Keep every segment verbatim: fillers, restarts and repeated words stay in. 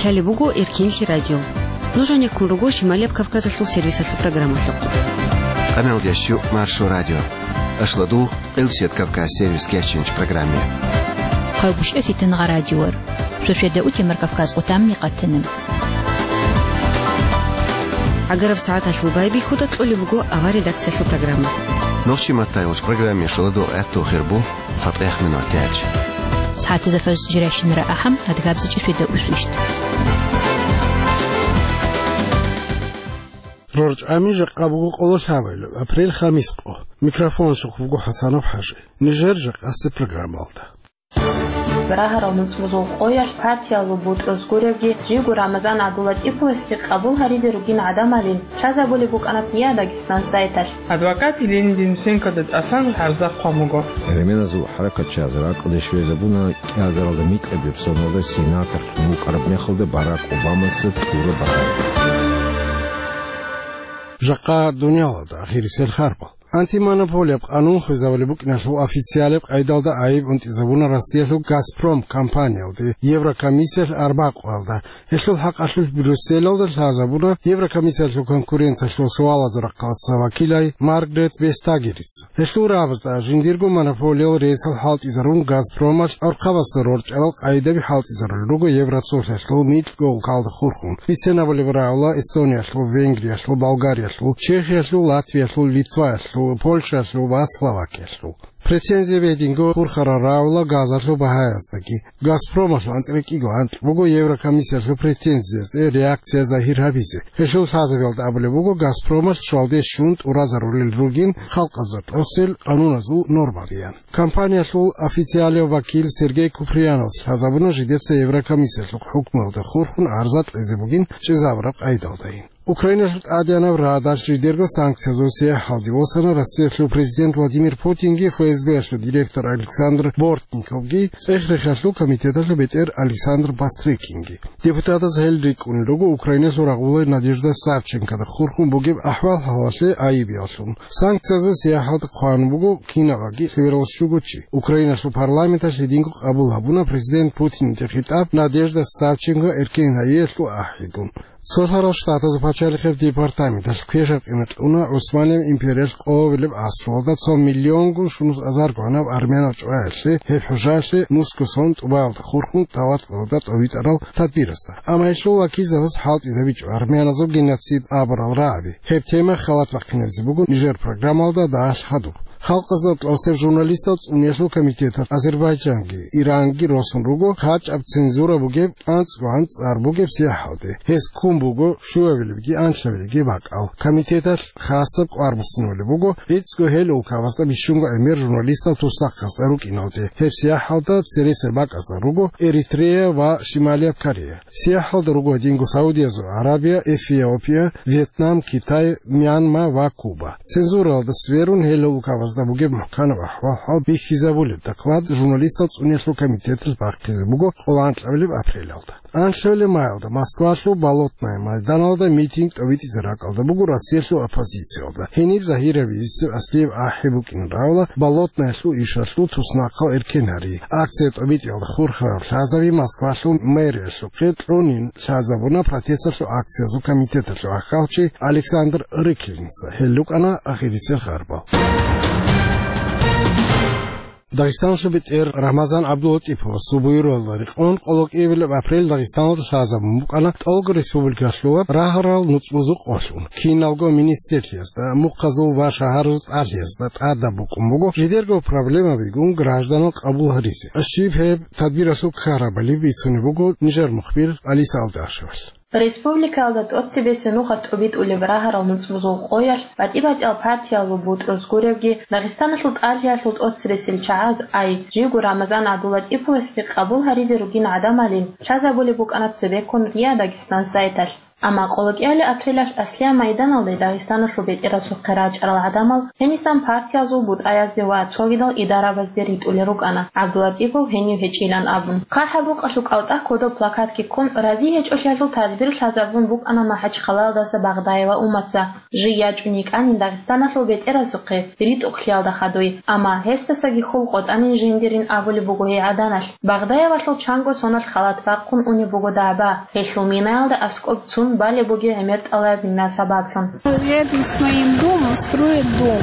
Лъалеб буго Эркенлъи радио. Нуж гьанеккун руго Шималияб Кавказалъул сервисалъул программалъухъ. Къамелдящу Маршо радио. Ашладул Къилсият Кавказ сервис кечинч программе. Хъайбушев Фитангъа радиор. Шошведа утемар Кавказ къутамни къатана. ГӀагараб сагӀаталъул байбихьуда кьолеб буго авар редакциялъул программа. Нохчи маттайулъ программе шоладул гӀатту хирбу. Фатех минутач. СагӀатазда фаз жиращинара ахӀам, адгабзичӀ фида усвищ. РорчӀами жакъа буго къоло лъабайл, апрель хамис къо. Микрофон щухъ буго ХӀасанов ХӀажи. Нижер жакъасе программалда. Рагьарал нуцӀбузул къоялъ партиялъул бутӀрузгуревги, жиго Рамазан ГӀабдулатӀиповасги къабул гьаризе ругин гӀадамалин лъазабулеб букӀана ТӀиа Дагестан сайталъ. Адвокат Еленин Денисенкода тӀасан гӀарза хъван буго. Гьерменазул хӀаракатчияз ракӀалде щвезабуна кӀиазаралда микьаб соналда сенаторлъун вукӀараб мехалда Барак Обамаца кьураб багьаялда. Жакъа дуниялалда ахирисел харбал. Антимонополияб къанун хвезабулеб букӀиналъул официалияб къайдалда айиб унтӀизабуна Россиялъул «Газпром» компаниялде Еврокомиссиялъ арбакъуялда. Гьелъул хӀакъалъулъ Брюсселалда лъазабуна Еврокомиссиялъул конкуренциялъул суалазул рахъалъа вакилай Маргарет Вестагерица. Гьелъул рагӀабазда жиндирго монополиял ресал хӀалтӀизарун, «Газпромалъ» гӀурхъабазда рорчӀарал къайдаби хӀалтӀизарулел руго Евроцоблъиялъул микьго улкалда хурхун. Бицен абулеб рагӀула Эстониялъул, Венгриялъул, Болгариялъул, Чехиялъул, Латвиялъул, Литваялъул, Польшаялъул ва Словакиялъул. Претензия гьединго хурхарал рагӀула газалъул багьаяздаги. «Газпромалъул» анцӀила кӀиго анкь буго Еврокомиссиялъул претензиязде реакция загьир гьабизе. Гьелъул лъазабиялда абулеб буго, «Газпромалъ» щвалде щун тӀуразарулел ругин халкъазда тӀосел къануназул нормабиян. Компаниялъул официалияв вакил Сергей Куприяновас лъазабуна жидеца Еврокомиссиялъухъ хӀукмуялда хурхун гӀарза кьезе бугин чӀезабураб къайдалдайин. Украиналъул ТӀадегӀанаб Радалъ жидерго санкциязул сияхӀалде восана Россиялъул президент Владимир Путинги ФСБ-ялъул директор Александр Бортниковги, ЦӀех-рехиялъул комитеталъул бетӀер Александр Бастрыкинги. Депутатаз гьел рикӀкӀунел руго Украиналъул рагъула Надежда Савченкода хурхун бугеб ахӀвал-хӀалалъе айибияллъун. Санкциязул сияхӀалда хъван буго кинабаги лъебералъ щуго чи. Украиналъул парламенталъ гьединго къабул гьабуна президент Путинде хитӀаб Надежда Савченко эркен гьайиялъул ахӀигун. Цолъарал Штатазул пачалихъеб департаменталъ квешаб къимат кьуна ГӀусманияб империялъ къоабилеб асралда цо миллионгун щунус азарго гьанаб армянал чӀваялъе, гьеб хӀужаялъе нусго сон тӀубаялда хурхун тӀалат къоялда тӀовитӀарал тадбирасда. Амма гьелъул вакилзабаз хӀалтӀизабичӀо армяназул геноцид абурал рагӀаби. Гьеб тема халат бахъинабизе буго нижер программалда дагьалъ хадуб. Халкъазда тӀосеб журналистал цӀуниялъул комитеталъ Азербайджанги, Иранги росун руго, хъачӀаб цензура бугеб, анцӀго анцӀ цӀар бугеб сияхӀалде. Гьез ккун буго щуабилебги анлъабилебги бакӀал. Комитеталъ хасаб кӀвар буссинабулеб буго гӀицӀго гьел улкабазда бищунго гӀемер журналистал туснахъасда рукӀиналде. Гьеб сияхӀалда цересел бакӀазда руго Эритрея ва Шималияб Корея. СияхӀалда руго гьединго Саудиязул Арабия, Эфиопия, Вьетнам, Китай, Мьянма ва Куба. Цензуралда сверун, гьел улкабазда бугеб мухӀканаб ахӀвал-хӀал бихьизабулеб доклад журналистал цӀуниялъул комитеталъ бахъизе буго къоло анкьабилеб апрелалда. Анлъабилеб майалда Москвалъул Болотное майданалда митинг тӀовитӀизе ракӀалда буго Россиялъул оппозициялда. Гьениб загьирабизе аслияб ахӀи букӀин равла Болотнаялъул ишалъул туснахъал эркен гьари. Акция тӀобитӀиялда хурхараб лъазаби Москвалъул мэриялъухъе кьунин лъазабуна протесталъул акциязул комитеталъул ахьалчи Александр Рыкинца. Гьел рукӀана ахирисел харбал. Дагъистаналъул бетӀер Рамазан ГӀабдулатӀиповасул буюралда рекъон къоло кӀиабилеб апрель Дагъистаналда лъазабун букӀана тӀолго республикалъула рагьарал нуцӀбузул къолъун. Киналго министерлъиязда, мухъазул ва шагьарзул тӀалъиязда тӀадаб букӀун буго жидерго проблемабигун гражданал къабул гьаризе. Щиб гьеб тадбиралъул ккарабали бицунеб буго нижер мухбир Алиса Алдашевалъ. Республикаялда тӀоцебесеб нухалъ тӀобитӀулеб рагьарал нуцӀбузул къоялъ батӀи-батӀиял партиялъул бутӀрузгуревги, Дагъистаналъул тӀалъиялъул тӀоцересел чагӀаз ай, жиго Рамазан ГӀабдулатӀиповасги къабул гьаризе ругин гӀадамалин лъазабулеб букӀана цебеккун РИА Дагестан сайталъ. Амма къолокӀиялил апрелалъ Аслия майданалде Дагъистаналъул бетӀерасухъе рачӀарал гӀадамал гьенисан партиязул бутӀаязде ва цогидал идарабазде ритӀулел рукӀана, ГӀабдулатӀипов гьенив гьечӀилан абун. ХъахӀаб рукъалъул кӀалтӀа кодоб плакатги ккун, рази гьечӀолъиялъул тадбир лъазабун букӀана МахӀачхъалаялдаса Багъдаева Уматца. Жий ячӀун йикӀанин Дагъистаналъул бетӀерасухъе ритӀухълъиялда хадуй, амма гьесдасаги хьул къотӀанин жиндирин абулеб буго гьей гӀаданалъ. Багъдаевалъул чанго соналъ халат бахъун унеб буго дагӀба, гьелъул минаялда аскӀоб цун балеб бугеб гӀемер тӀалаяб мина сабаблъун. Рядом с моим домом строят дом.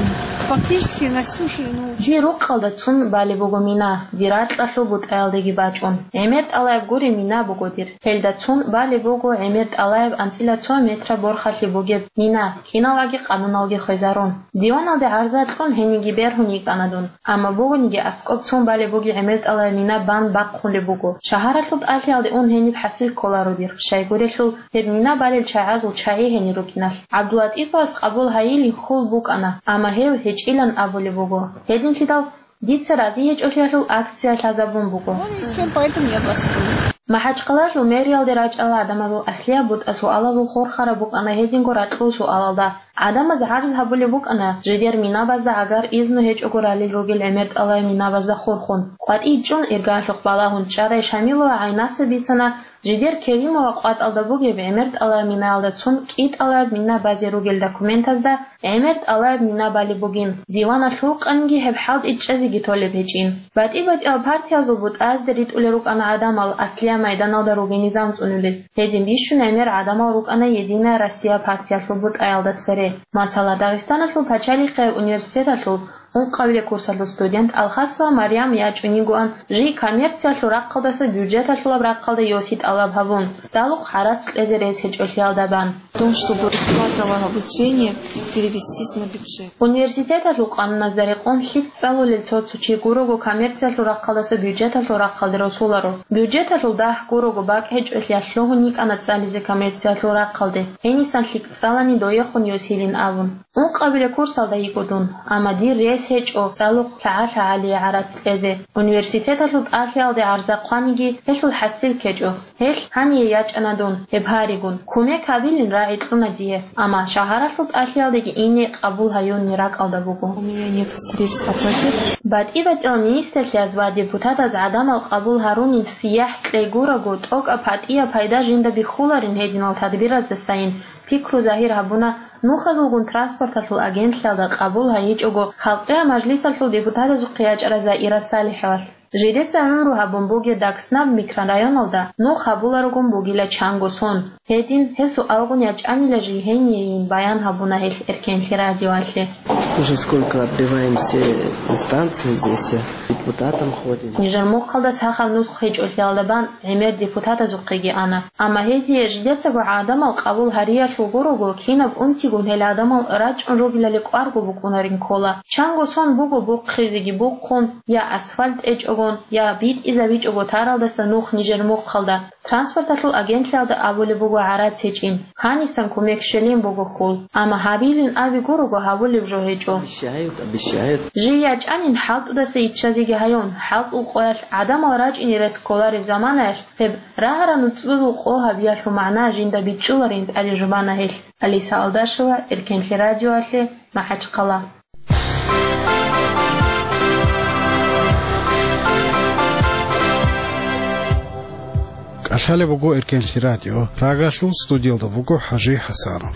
Фактически на всю ширину. Дир рукъалда цун балеб буго мина, дир ракьалъул бутӀаялдеги бачӀун. ГӀемер тӀалаяб гури мина буго дир. Гьелда цун балеб буго гӀемер тӀалаяб анцӀила цо метра борхалъи бугеб мина, киналгӀаги къануналги хвезарун. Диваналде гӀарза кьун гьениги бергьун йикӀана дун. Амма бугониги аскӀоб цун балеб бугеб гӀемер тӀалаяб мина бан бахъулеб буго. Шагьаралъул тӀалъиялде ун гьениб хӀасил кколаро дир. Щайгурелъул, гьеб мина балел чагӀазул чагӀи гьенир рукӀиналъ. ГӀабдулатӀиповас къабул гьайилин хьул букӀана, амма гьев гьечӀилан абулеб буго. Гьединлъидал дица рази гьечӀолъиялъул акция лъазабун буго. Вот и всё, поэтому я бастую. МахӀачхъалаялъул мэриялде рачӀарал гӀадамазул аслияб бутӀа суалазул хурхараб букӀана гьединго ракьул суалалда. ГӀадамаз гӀарз гьабулеб букӀана, жидер минабазда гӀагар изну гьечӀого ралел ругел гӀемер тӀалаяб минабазда хурхун. КъватӀий чӀун, иргаялъухъ балагьун чӀарай Шамилова ГӀайнаца бицана, жидер Керимова къватӀалда бугеб гӀемер тӀалаяб минаялда цун кӀи тӀалаяб мина базе ругел документазда гӀемер тӀалаяб мина балеб бугин, диваналъ рукъаниги гьеб хӀалтӀи чӀезеги толеб гьечӀин. БатӀи-батӀиял партиязул бутӀазде ритӀулел рукӀана гӀадамал аслияб майданалда ругел низам цӀунулел. Гьедин бищун гӀемер гӀадамал рукӀана «Единая Россия» партиялъул бутӀаялда цере. Масала, Дагъистаналъул пачалихъияб университеталъул ункъабилеб курсалъул студент Алхасова Марьям ячӀун йигоан жий коммерциялъул рахъалдаса бюджеталъулаб рахъалда йоси тӀалаб гьабун, цӀалухъ гӀарац кьезе рес гьечӀолъиялда бан. В том, чтобы расплата обучения перевестись на бюджет. Университеталъул къануназда рекъон лъикӀ цӀалулел цо-цо чи гурого коммерциялъул рахъалдаса бюджеталъул рахъалде росуларо. Бюджеталъул дагь гурого бакӀ гьечӀолъиялъ лъугьун йикӀана цӀализе коммерциялъул рахъалде, гьенисан лъикӀ цӀалани доехун йосилин абун. Ункъабилеб курсалда йиго дун, амма дир рес гьечӀо цӀалухъ лъагӀа-лъагӀалие гӀарац кьезе. Университеталъул тӀалъиялде гӀарза хъваниги, гьелъул хӀасил ккечӀо. Гьелъ гьание ячӀана дун, гьеб гьаригун. Кумек гьабилин рагӀи кьуна дие, амма шагьаралъул тӀалъиялдеги ине къабул гьаюнни ракӀалда буго. У меня нет средств оплатить. БатӀи-батӀиял министрлъиз ва депутатаз гӀадамал къабул гьарунин сияхӀ кьей гураго, тӀокӀаб гьатӀияб пайда жинда бихьуларин гьединал тадбираздасайин пикру загьир гьабуна, нухазулгун транспорталъул агентлъиялда къабул гьайичӀого Халкъиял мажлисалъул депутатазухъе ячӀарай Заира СалихӀовалъ. Жидеца гӀумру гьабун бугеб ДакӀснаб микрорайоналда нух гьабуларогун бугила чанго сон. Гьедин, гьесул алгъун ячӀанила жий гьениейин баян гьабуна гьелъ Эркенлъи радиоялъе. Уже сколько отбиваем все инстанции здесь, депутатам ходим. Нижер мухъалда сахаб нусх гьечӀолъиялда бан гӀемер депутатазухъеги ана. Амма гьезие жидецаго гӀадамал къабул гьариялъул гурого, кинаб унтигун гьел гӀадамал рачӀун ругелали кӀварго букӀунарин ккола. Чанго сон буго бухъизеги бухъун, я асфальт тӀечӀогон, я битӀизабичӀого таралдаса нух нижер мухъалда. Транспорталъул агентлъиялда абулеб буго гӀарац гьечӀин. Гьанисан кумек щвелин буго хьул. Амма гьабилин аби гурого гьабулеб жо гьечӀо. Обещают, обещают. Жий ячӀанин хӀалтӀудаса иччазеги гьаюн, хӀалтӀул къоялъ гӀадамал рачӀине рес кколареб заманаялъ гьеб рагьарал нуцӀбузул къо гьабиялъул магӀна жинда бичӀчӀуларин тӀаде жубана гьелъ. Алиса Алдашева, Эркенлъи радиоялъе, МахӀачхъала. КӀалъалеб буго Эркенлъи радио. Прагалъул студиялда вуго ХӀажи ХӀасанов.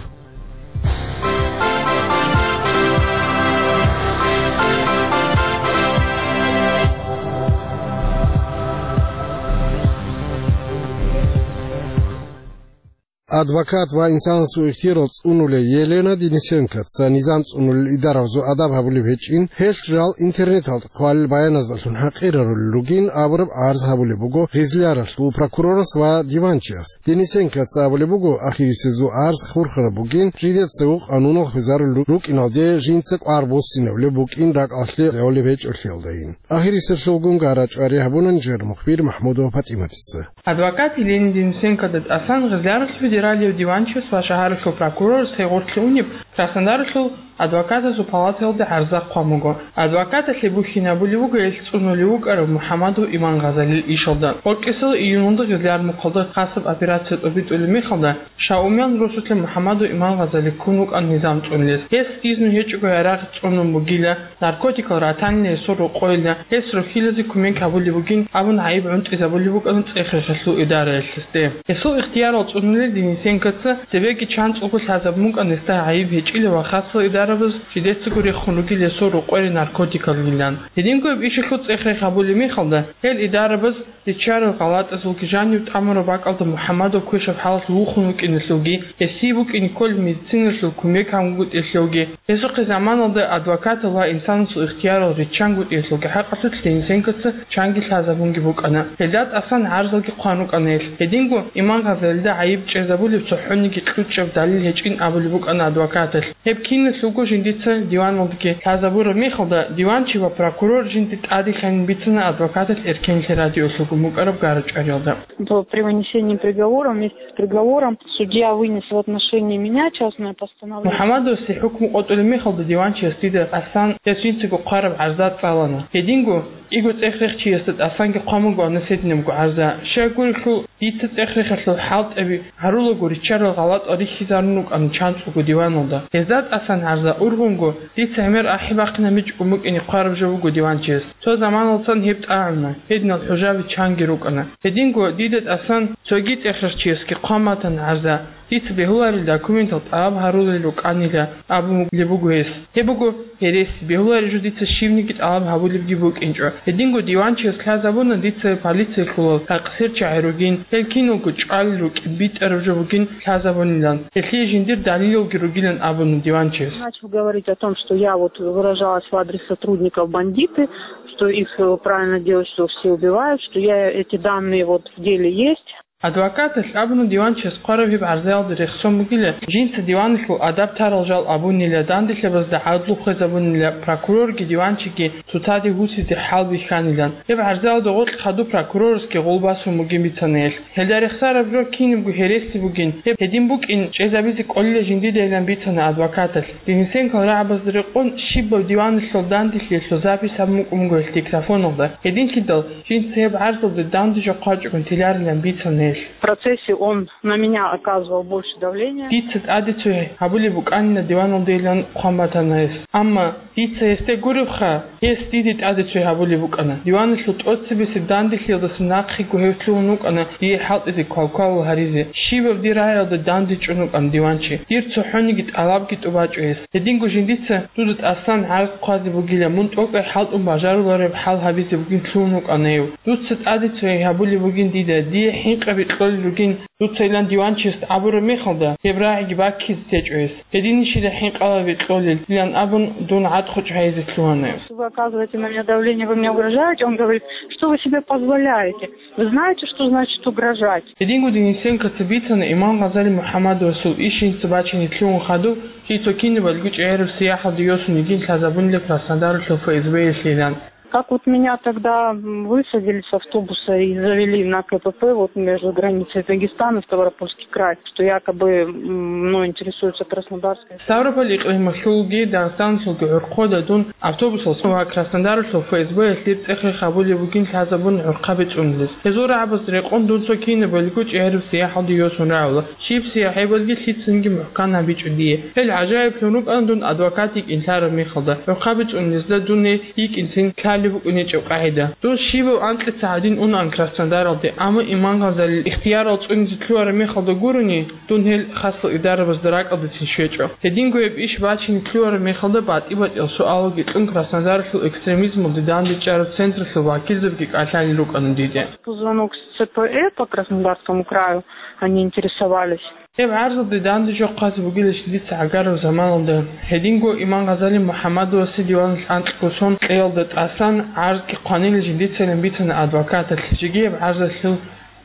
Адвокат ва инсанасул ихтияр цӀунулев Елена Денисенкоца низам цӀунулел идарабазул адаб гьабулеб гьечӀин, гьелъ жал интернеталда хъвалел баяназдалъун хӀакъирарулел ругин абураб гӀарз гьабулеб буго гъезлияралъул прокурорас ва диванчияс. Денисенкоца абулеб буго, ахирисезул гӀарз хурхараб бугин, жидецаго къануналъ хвезарулел рукӀиналде жинца кӀвар буссинабулеб букӀин ракӀалъе гӀолеб гьечӀолъиялдайин. Ахирисезулгун гара чӀвари гьабуна нижер мухбир МахӀмудова ПатӀиматица. Адвокат Елена Денисенкода тӀасан Гъезлияралъул федералияб диванчияс ва шагьаралъул прокурорас гьей гъорлъе унеб Краснодаралъул Адвокатазул палатаялда гӀарза хъван буго. Адвокаталъе бухьинабулеб буго гьелъ цӀунулев вукӀарав МухӀаммадов Иман Гъазалил ишалда. Гъоркьисел июньалда гъилар мухъалда хасаб операция тӀобитӀулеб мехалда, Шаумян росулъа МухӀаммадов Иман Гъазали ккун вукӀана низам цӀунулес. Гьес дизну гьечӀого гьарахъ цӀунун бугила, наркотикал ратанила гьесул рокъойила, гьес рохьилазе кумек гьабулеб бугин абун гӀайиб гӀунтӀизабулеб букӀана цӀех-рехалъул идараялъ гьесде. Гьесул ихтиярал цӀунулел Денисенкоца цебеги чанцӀулго лъазабун букӀана гьесда гӀайиб гьечӀила ва хасал идарабаз жидецаго рехун ругел гьесул рокъоре наркотикалилан. Гьединго гьеб ишалъул цӀех-рех гьабулеб мехалда, гьел идарабаз риччарал гъалатӀазулги жанив тӀамураб бакӀалда МухӀаммадов квешаб хӀалалъ вухун вукӀиналъулги, гьесие букӀине кколеб медициналъул кумек гьабунгутӀиялъулги, гьесухъе заманалда адвокатал ва инсанасул ихтиярал риччангутӀиялъулги хӀакъалъулъ Денисенкоца чанги лъазабунги букӀана. Гьелда тӀасан гӀарзалги хъван рукӀана гьелъ. Гьединго Иман Гъазалида гӀайиб чӀезабулеб цохӀониги кьучӀаб далил гьечӀин абулеб букӀана адвокаталъ. Гьеб киналъулго жиндица диваналдаги лъазабураб мехалда, диванчи ва прокурор жинда тӀаде лъанин бицана адвокаталъ Эркенлъи радиолъулгун букӀараб гара-чӀвариялда. То при вынесении приговора, вместе с приговором судья вынес в отношении меня частное постановление. МухӀаммадовасе хӀукму къотӀулеб мехалда диванчияс дида тӀасан гьес жинцаго хъвараб гӀарза цӀалана. Гьединго кӀиго цӀех-рехчиясда тӀасанги хъван бугоан гьединабго гӀарза. Щай гурелъул, дица цӀех-рехалъул хӀалтӀаби гьарулаго риччарал гъалатӀал рихьизарун рукӀана чанцӀулго диваналда. Гьезда тӀасан гӀарза ургъунго, дица гӀемер ахӀи бахъинабичӀого букӀине хъвараб жо буго диванчияс. Цо заманалдасан гьеб тӀагӀуна, гьединал хӀужаби чанги рукӀана. Гьединго дида тӀасан цоги цӀех-рехчиясги хъван батана гӀарза. Дица бегьуларел документал тӀалаб гьарулел рукӀанила абулеб буго гьес. Гьеб буго гьереси, бегьулареб жо дица щибниги тӀалаб гьабулебги букӀинчӀо. Гьединго диванчияс лъазабуна дица полициялъулал такъсирчагӀи ругин, гьел киналго чӀвалел рукӀин битӀараб жо бугин лъазабунилан, гьелъие жиндир далилалги ругилан абуна диванчияс. Начал говорить о том, что я вот выражалась в адрес сотрудников бандиты, что их, э, правильно делать, что все убивают, что я эти данные вот в деле есть. Адвокаталъ абуна диванчияс хъвараб гьеб гӀарзаялда рехсон бугила, жинца диваналъул адаб тарал жал абунила, данделъабазда гӀадлу хвезабунила, прокурорги диванчиги цоцаде гьусизе хӀал бихьанилан. Гьеб гӀарзаялда гъоркь хадуб прокурорасги гъол басун бугин бицана гьелъ. Гьелда рехсараб жо кинабго гьереси бугин, гьеб гьедин букӀин чӀезабизе кӀолила жиндидайилан бицана адвокаталъ. Денисенкол рагӀабазда рекъон щибаб диваналъул данделъиялъул запись гьабун букӀун буго гьелъ диктофоналда. Гьединлъидал жинца гьеб гӀарзалда данде жо хъвачӀогун теларилан бицана гьелъ. В процессе он на меня оказывал больше давления. Дица тӀаде цо гьабулеб букӀанина диваналдайилан хъван батана гьес. Амма дица гьесде гуребха, гьес диде тӀаде цо гьабулеб букӀана. Диваналъул тӀоцебесеб данделъиялдаса нахъего гьев лъугьун вукӀана дие хӀалтӀизе квалквалал гьаризе. Щибаб дир рагӀиялда данде чӀун вукӀана диванчи. Дир цохӀониги тӀалабги тӀубачӀо гьес. Гьединго жиндица дуда тӀасан гӀарз хъвазе бугила, мун тӀокӀай хӀалтӀун бажарулареб хӀал гьабизе бугин лъугьун вукӀана гьев. Дуца тӀаде цо гьабулеб бугин дида, дие хӀинкъаби кьолел ругин, дуцайилан диванчиясда абураб мехалда, гьеб рагӀиги баккизе течӀо гьес. Гьединищила хӀинкъалаби кьолел, илан абун, дун гӀадхъучӀ гьайизе лъугьана гьев. Вы оказываете на меня давление, вы мне угрожаете. Он говорит: «Что вы себе позволяете? Вы знаете, что значит угрожать?» Гьединго Денисенкоца бицана Иман Гъазали МухӀаммадовасул иш жинца бачине лъугьун хадуб, жий цо кинабалго чӀегӀераб сияхӀалде йосун йигин лъазабунила Краснодаралъул ФСБ-ялъилан. Как вот меня тогда, м, высадили с автобуса и завели на КПП вот между границей Дагестана и Ставропольский край, что якобы, м, мной интересуется Краснодарская. Ставрополь икълималъулги Дагъистаналъулги гӀурхъода дун автобусалъ ва Краснодаралъул ФСБ-ялъ дир цӀех-рех гьабулеб бугин лъазабун гӀурхъаби цӀунулес. Гьезул рагӀабазда рекъон дун цо кинабалго чӀегӀераб сияхӀалде йосун рагӀула. Щиб сияхӀ гьебалги лъицанги мухӀкан гьабичӀо дие. Гьел гӀажаиблъун рукӀана дун адвокат йикӀин лъараб мехалда, гӀурхъаби цӀунулезда дун гьей йикӀинцин лъалеб букӀунечӀеб къагӀида. Дун щибаб анкьица гьадин унаан Краснодаралде, амма Иман Гъазалил ихтиярал цӀунизе лъугьараб мехалда гурони, дун гьел хасал идарабазда ракӀалдецин щвечӀо. Гьединго гьеб иш бачине лъугьараб мехалда батӀи-батӀиял суалалги кьун Краснодаралъул экстремизмалде дандечӀараб централъул вакилзабги кӀалъалел рукӀана диде. По звонок с ЦПЭ по Краснодарскому краю они интересовались. Гьеб гӀарзалде данде жо хъвазе бугила жиндица гӀагараб заманалда. Гьединго Иман Гъазали МухӀаммадовасе диваналъ анкьго сон кьеялда тӀасан гӀарзги хъванила жиндицайилан бицана адвокаталъ, жеги гьеб гӀарзалъул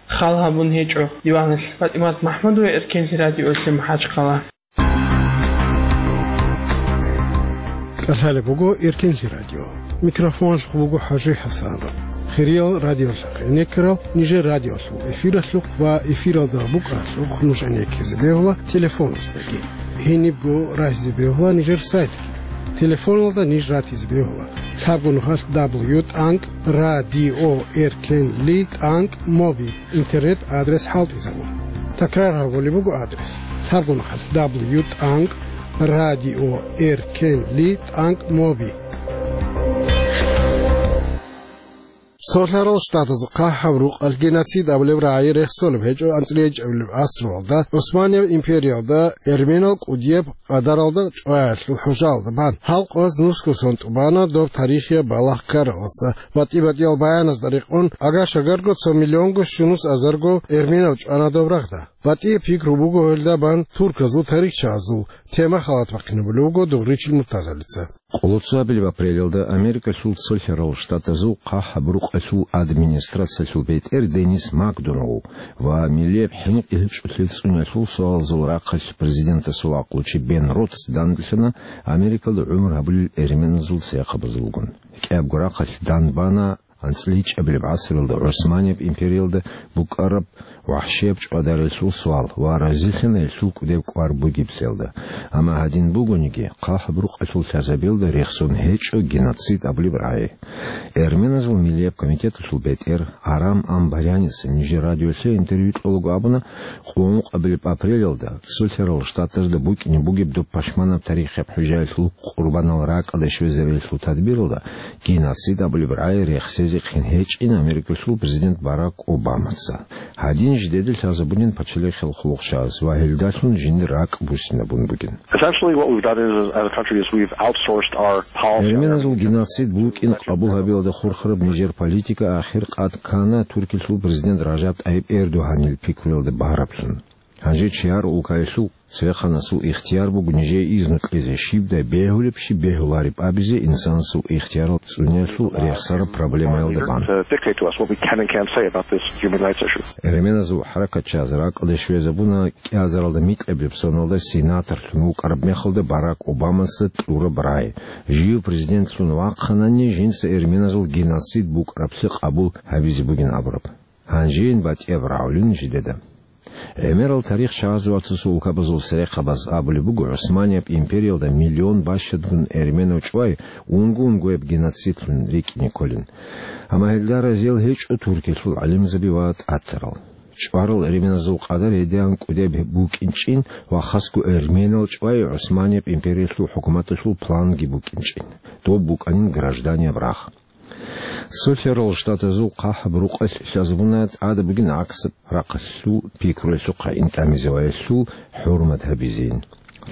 хал гьабун гьечӀо диваналъ. ПатӀимат МахӀмудова, Эркенлъи радиоялъе, МахӀачхъала. КӀалъалеб буго Эркенлъи радио. Микрофоналъухъ буго ХӀажи ХӀасанов. Хириял радиолъахъ гӀенеккарал нижер радиолъул эфиралъухъ ва эфиралда букӀаралъухъ нуж гӀенеккизе бегьула телефоназдаги. Гьенибго рахизе бегьула нижер сайтги. Телефоналда ниж ратизе бегьула: лъабго нухалъ дабл ю тӀанкӀ радио эркенли тӀанкӀ моби интернет адрес хӀалтӀизабун. Такрар гьабулеб буго адрес: лъабго нухалъ дабл ю тӀанкӀ радио эркенли тӀанкӀ моби. Цолъарал Штатазул хъахӀаб рукъалъ геноцид абулеб рагӀи рехсолеб гьечӀо анцӀила гьечӀебилеб гӀасруялда, ГӀусманияб империялда эрменал кӀудияб къадаралда чӀваялъул хӀужаялда бан. Гьал къоялъ нусго сон тӀубана доб тарихияб балагь ккаралдаса. БатӀи-батӀиял баяназда рекъон, агар-шагарго цо миллионго щунус азарго эрменал чӀвана доб рагъда. БатӀияб пикру буго гьелда бан турказул тарихчиязул. Тема халат бахъинабулев вуго Дугъричил Муртазалица. Къолоцо абилеб апрелалда Америкалъул Цолъарал Штатазул хъахӀаб рукъалъул администрациялъул бетӀер Денис Макдоналл ва миллияб хӀинкъи гьечӀолъи цӀуниялъул суалазул рахъалъ президентасул гӀакълучи Бен Ротс данделъана Америкалда гӀумру гьабулел эрменазул церехъабазулгун. КӀиябго рахъалъ данбана анцӀила гьечӀебилеб гӀасруялда ГӀусманияб империялда букӀараб вахӀшияб чӀвадарелъул суал ва разилъана гьелъул кӀудеб кӀвар бугеблъиялда. Амма гьадин бугониги, хъахӀаб рукъалъул лъазабиялда рехсон гьечӀо геноцид абулеб рагӀи. Эрменазул миллияб комитеталъул бетӀер Арам Амбаряница нижер радиолъе интервью кьолаго абуна, къуллукъабилеб апрелалда Цолъарал Штатазда букӀине бугеб доб пашманаб тарихияб хӀужаялъул къурбанал ракӀалде щвезарелъул тадбиралда геноцид абулеб рагӀи рехсезехъин гьечӀин Америкалъул президент Барак Обамаца. Гьадин жидеда лъазабунин пачалихъал хъулухъчияз ва гьелдалъун жиндир ракӀ буссинабун бугин. Essentially, what we've done is, as a country, is we've outsourced our policy. Эрменазул геноцид букӀин къабул гьабиялда хурхараб нижер политика ахир къад ккана Туркиялъул президент Ражаб ТӀайиб Эрдогьанил пикруялда багьараблъун. Гьанже чияр улкаялъул церехъанасул ихтияр буго нижее изну кьезе, щибдай бегьулеб, щиб бегьулареб абизе инсанасул ихтиярал цӀуниялъул рехсараб проблемаялда бан. To dictate to us what we can and can't say about this human rights issue. Эрменазул хӀаракатчияз ракӀалде щвезабуна кӀиазаралда микьабилеб соналда сенаторлъун вукӀараб мехалда Барак Обамаца кьураб рагӀи. Жив президентлъун вахъанани, жинца эрменазул геноцид букӀараблъи къабул гьабизе бугин абураб. Гьанжейин батӀияб рагӀулин жидеда. ГӀемерал тарихчияз ва цо-цо улкабазул церехъабаз абулеб буго, ГӀусманияб империялда миллион бащадгун эрменав чӀвай унго-унгояб геноцидлъун рикӀкӀине кколин. Амма гьелда разиял гьечӀо Туркиялъул гӀалимзаби ва тӀатарал. ЧӀварал эрменазул къадар гьедигӀан кӀудияб букӀинчӀин ва хасго эрменал чӀвай ГӀусманияб империялъул хӀукуматалъул планги букӀинчӀин. Доб букӀанин гражданияб рагъ. Цолъарал Штатазул хъахӀаб рукъалъ лъазабуна тӀада бугин гӀаксаб рахъалъул пикруялъухъ гьаин тӀамизе ва гьелъул хӀурмат гьабизейин.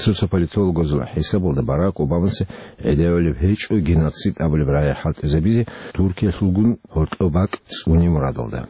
Цо-цо политологазул хӀисабалда Барак Обамаца гӀедегӀулеб гьечӀо геноцид абулеб рагӀи хӀалтӀизабизе Туркиялъулгун гьоркьоб бакӀ цӀуне мурадалда.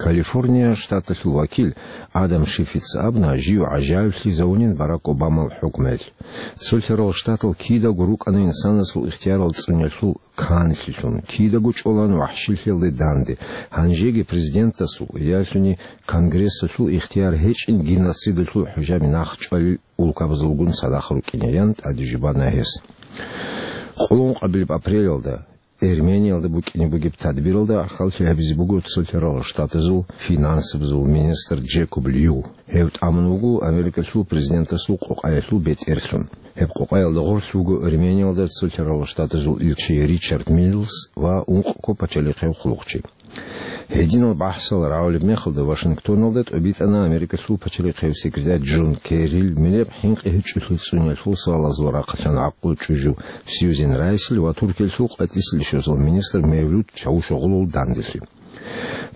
Калифорния штаталъул вакил Адам Шифица абуна жив гӀажаиблъизавунин Барак Обамал хӀукмуялъ. Цолъарал Штатал кидаго рукӀана инсанасул ихтиярал цӀуниялъул канлъилъун, кидаго чӀолан вахӀшилъиялде данде, гьанжеги президентасул, ялъуни Конгрессалъул ихтияр гьечӀин геноцидалъул хӀужаби нахъчӀвалел улкабазулгун цадахъ рукӀине, ян тӀаде жубана гьес. Къуллукъабилеб апрелалда Эрмениялда букӀине бугеб тадбиралда ахӀаллъи гьабизе буго Цолъарал Штатазул финансабазул министр Джекоб Лью. Гьев тӀамун вуго Америкалъул президентасул къокъаялъул бетӀерлъун. Гьеб къокъаялда гъорлъ вуго Эрмениялда Цолъарал Штатазул илчи Ричард Миллс ва ункъго пачалихъев хъулухъчи. Гьединал бахӀсал рагӀулеб мехалда Вашингтоналда тӀобитӀана Америкалъул пачалихъев секретарь Джон Керрил миллияб хӀинкъи гьечӀолъи цӀуниялъул суалазул рахъалъан гӀакъуба чӀужу Сьюзен Райсил ва Туркиялъул къватӀиса лъимерал министр Мевлут Чавушоглул данделъи.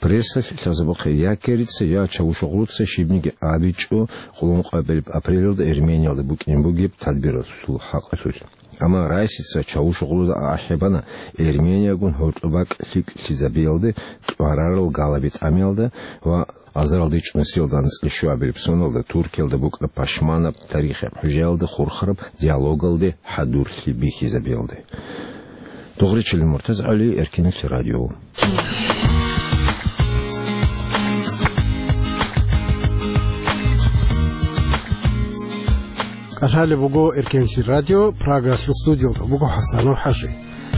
Прессалъ лъазабухъе я Керрица, я Чавушоглуца щибниги абичӀо къуллукъабилеб апрелалда Эрмениялда букӀине бугеб тадбиралъул хӀакъалъулъ. Амма Райсица Чавушоглуда ахӀи бана Эрмениягун гьоркьоб бакӀ лъикӀлъизабиялде, кьварарал галаби тӀамиялда ва азаралда ичӀнусиялда анцӀила щуабилеб соналда Туркиялда букӀараб пашманаб тарихияб хӀужаялда хурхараб диалогалде хӀадурлъи бихьизабиялде. Дугъричилин МуртазагӀали, Эркенлъи радио. КӀалъалеб буго Эркенлъи радио, Прагалъул студиялда буго ХӀасанов ХӀажи.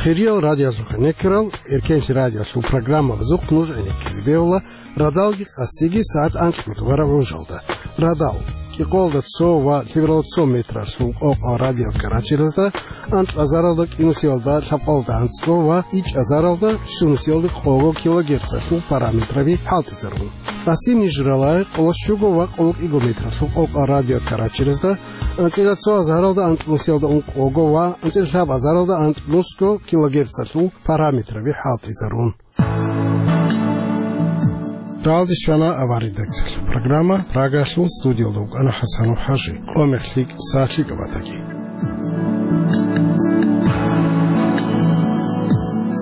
Хириял радиоялъухъ гӀенеккарал Эркенлъи радиоялъул программабазухъ нуж гӀенеккизе бегьула радалги къасиги сагӀат анкьго тӀубараб гӀужалда. Радал. гьикъоялда цо ва лъебералда цо метралъул къокъа радиокаратчеразда, анкьазаралда кӀинусиялда лъабкъоялда анцӀго ва ичӀазаралда щунусиялда къого килогерцалъул параметраби хӀалтӀизарун. Къасси Нижералай къоло щуго ва къоло кӀиго метралъул къокъа радиокаратчеразда, анцӀила цо азаралда анкьнусиялда ункъого ва анцӀила лъабазаралда анкьнусго килогерцалъул параметраби хӀалтӀизарун. Ралдис вана авар редакциялъул программа, Прагалъул студиялда вукӀана ХӀасанов ХӀажи. Къо мехлъи, сахлъи кӀабатаги.